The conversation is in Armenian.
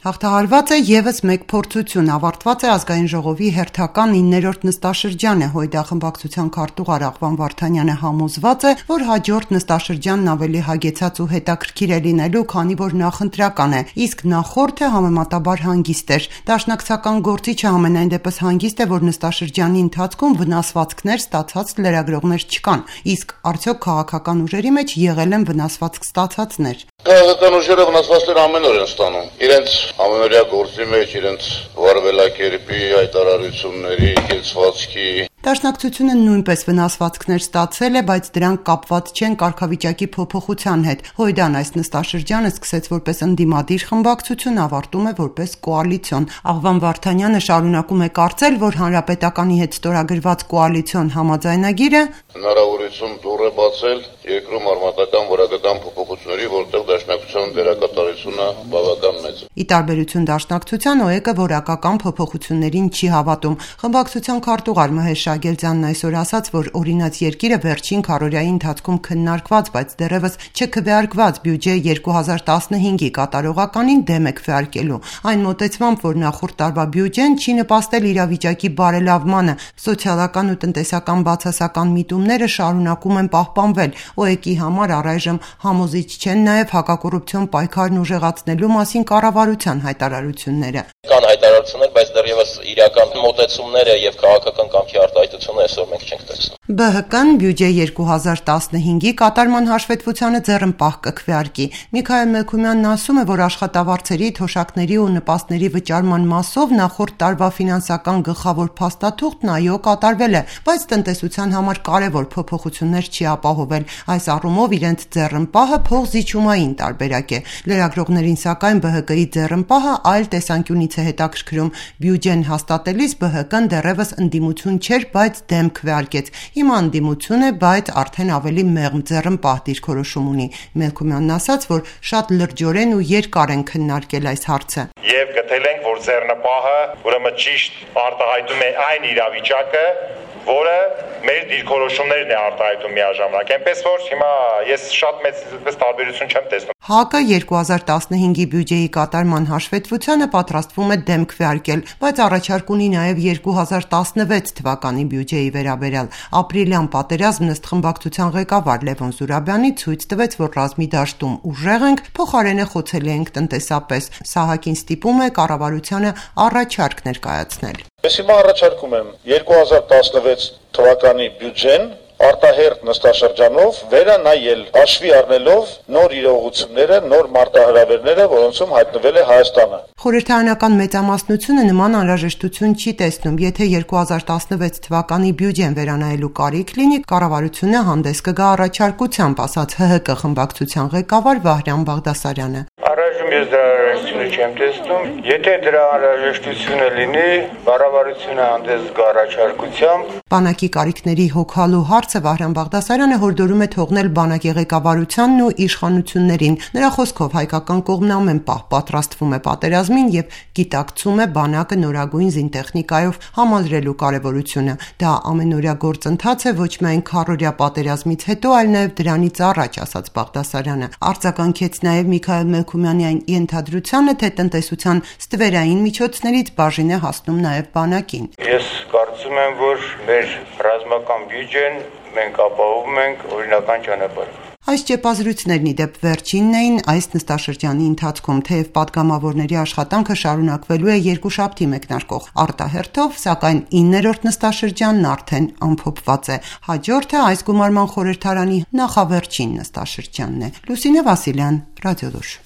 Հաղթահարված է ևս մեկ փորձություն, ավարտված է ազգային ժողովի հերթական 9-րդ նստաշրջանը, Հույդա խմբակցության քարտուղար Աղվան Վարդանյանը համոզված է, որ հաջորդ նստաշրջանն ավելի հագեցած ու հետաքրքիր է լինելու, քանի որ նախընտրական է, իսկ նախորդը համեմատաբար հանգիստ էր։ Դաշնակցական գործիչը համենայն դեպս հանգիստ է, որ նստաշրջանի ընթացքում վնասվածքներ ստացած լրագրողներ չկան, իսկ արդյոք քաղաքական ուժերի մեջ եղել են վնասվածք ստացածներ։ Քաղաքական ուժերը վնասվածքներ ամեն օր են ստանում։ Իրենց ամենօրյա գործի մեջ, իրենց վարվելակերպի, հայտարարությունների, կեցվածքի։ Դաշնակցությունը նույնպես վնասվածքներ ստացել է, բայց դրանք կապված չեն կարգավիճակի փոփոխության հետ։ Հույդան այս նստաշրջանը սկսեց որպես ընդդիմադիր խմբակցություն, ավարտում է որպես կոալիցիոն։ Աղվան Վարդանյանը շարունակում է կարծել, որ Հանրապետականի հետ ստորագրված կոալիցիոն համաձայնագիրը հնարավորություն դուռ է բացել երկրում արմատական որակական փոփոխությունների, որտեղ դաշնակցության դերակատարությունը բավական մեծ է։ Ի տարբերություն դաշնակցության, ՕԵԿ-ը որակական փոփոխություններին չի հավատում։ Խմբակցության քարտուղար Մհեր Շագելձյանն այսօր ասաց, որ օրինաց երկիրը վերջին քառօրյայի ընթացքում քննարկված, բայց դեռևս չքվեարկված բյուջե 2015-ի կատարողականին դեմ է քվեարկելու։ Այն մոտեցմամբ, որ նախորդ տարվա բյուջեն չի նպաստել իրավիճակի բարելավմանը, սոցիալական ու տնտեսական բացասական միտումները շարունակում են պահպանվել։ ՕԵԿ-ի համար առայժմ համոզիչ չեն նաև հակակոռուպցիոն պայքարն ուժեղացնելու մասին կառավարության հայտարարությունները։ Կան հայտարարություններ, բայց դեռևս իրական մոտեցումները եւ քաղաքական կամքի արտահայտությունը այսօր մենք չենք տեսնում։ ԲՀԿ-ն բյուջե 2015-ի կատարման հաշվետվությանը ձեռնպահ կքվեարկի։ Միքայել Մելքումյանն ասում է, որ աշխատավարձերի, թոշակների ու նպաստների վճարման մասով նախորդ տարվա ֆինանսական գլխավոր փաստաթուղթն այո կատարվել է, բայց տնտեսության համար կարևոր փոփոխություններ չի ապահովել։ Այս առումով իրենց ձեռնպահը փողզիջումային տարբերակ է։ Լրագրողներին սակայն ԲՀԿ-ի ձեռնպահը այլ տեսանկյունից է հետաքրքրում։ Բյուջեն հաստատելիս ԲՀԿ-ն դեռևս ընդդիմություն չէր, բայց դեմ քվեարկեց։ Հիմա ընդդիմություն է, բայց արդեն ավելի մեղմ ձեռնպահ դիրքորոշում ունի։ Մելքումյանն ասաց, որ շատ լրջորեն ու երկար են քննարկել այս հարցը։ Եվ գտել ենք, որ ձեռնպահը ուրեմն ճիշտ արտահայտում է այն իրավիճակը, որը մեր դիրքորոշումներն է արտահայտում միաժամանակ։ Այնպես որ հիմա ես շատ մեծ տարբերություն չեմ տեսնում։ ՀԱԿ-ը 2015-ի բյուջեի կատարման հաշվետվությանը պատրաստվում է դեմ քվեարկել, բայց առաջարկ ունի նաև 2016 թվականի բյուջեի վերաբերյալ։ Ապրիլյան պատերազմն ըստ խմբակցության ղեկավար Լևոն Զուրաբյանի ցույց տվեց, որ ռազմի դաշտում ուժեղ ենք, փոխարենը խոցելի ենք տնտեսապես։ Սահակին ստիպում է կառավարությանը առաջարկ ներկայացնել։ Ես հիմա առաջարկում եմ 2016 թվականի բյուջեն արտահերթ նստաշրջանով վերանայել, հաշվի առնելով նոր իրողությունները, նոր մարտահրավերները, որոնցում հայտնվել է Հայաստանը։ Խորհրդարանական մեծամասնությունը նման անհրաժեշտություն չի տեսնում։ Եթե 2016 թվականի բյուջեն վերանայելու կարիք լինի, կառավարությունը հանդես կգա առաջարկությամբ, ասաց ՀՀԿ խմբակցության ղեկավար Վահրամ Բաղդասարյանը։ Առայժմ ես դրա անհրաժեշտությունը չեմ տեսնում։ Եթե դրա անհրաժեշտությունը լինի, կառավարությունը հանդես գա առաջարկությամբ։ Բանակի կարիքների հոգալու հարցը Վահրամ Բաղդասարյանը հորդորում է թողնել բանակի ղեկավարությանն ու իշխանություններին։ Նրա խոսքով հայկական կողմն ամեն պահ պատրաստվում է պատերազմին եւ գիտակցում է բանակը նորագույն զինտեխնիկայով համալրելու կարեւորությունը։ Դա ամենօրյա գործընթաց է ոչ միայն քառօրյա պատերազմից հետո, այլ նաեւ դրանից առաջ, ասաց Բաղդասարյանը։ Արձագանքեց նաեւ Միքայել Մելքումյանի այն ենթադրությանը, թե տնտեսության ստվերային միջոցներից բաժին է հասնում նաեւ բանակին։ Ես կարծում եմ, որ մեր ռազմական բյուջեն մենք ապահովում ենք օրինական ճանապարհով։ Այս ճեպազրույցներն ի դեպ վերջինն էին այս նստաշրջանի ընթացքում, թեև պատգամավորների աշխատանքը շարունակվելու է երկուշաբթի մեկնարկող արտահերթով, սակայն 9-րդ նստաշրջանն արդեն ամփոփված է։ Հաջորդը այս գումարման խորհրդարանի նախավերջին նստաշրջանն է։ Լուսինե Վասիլյան, Ռադիոլուր։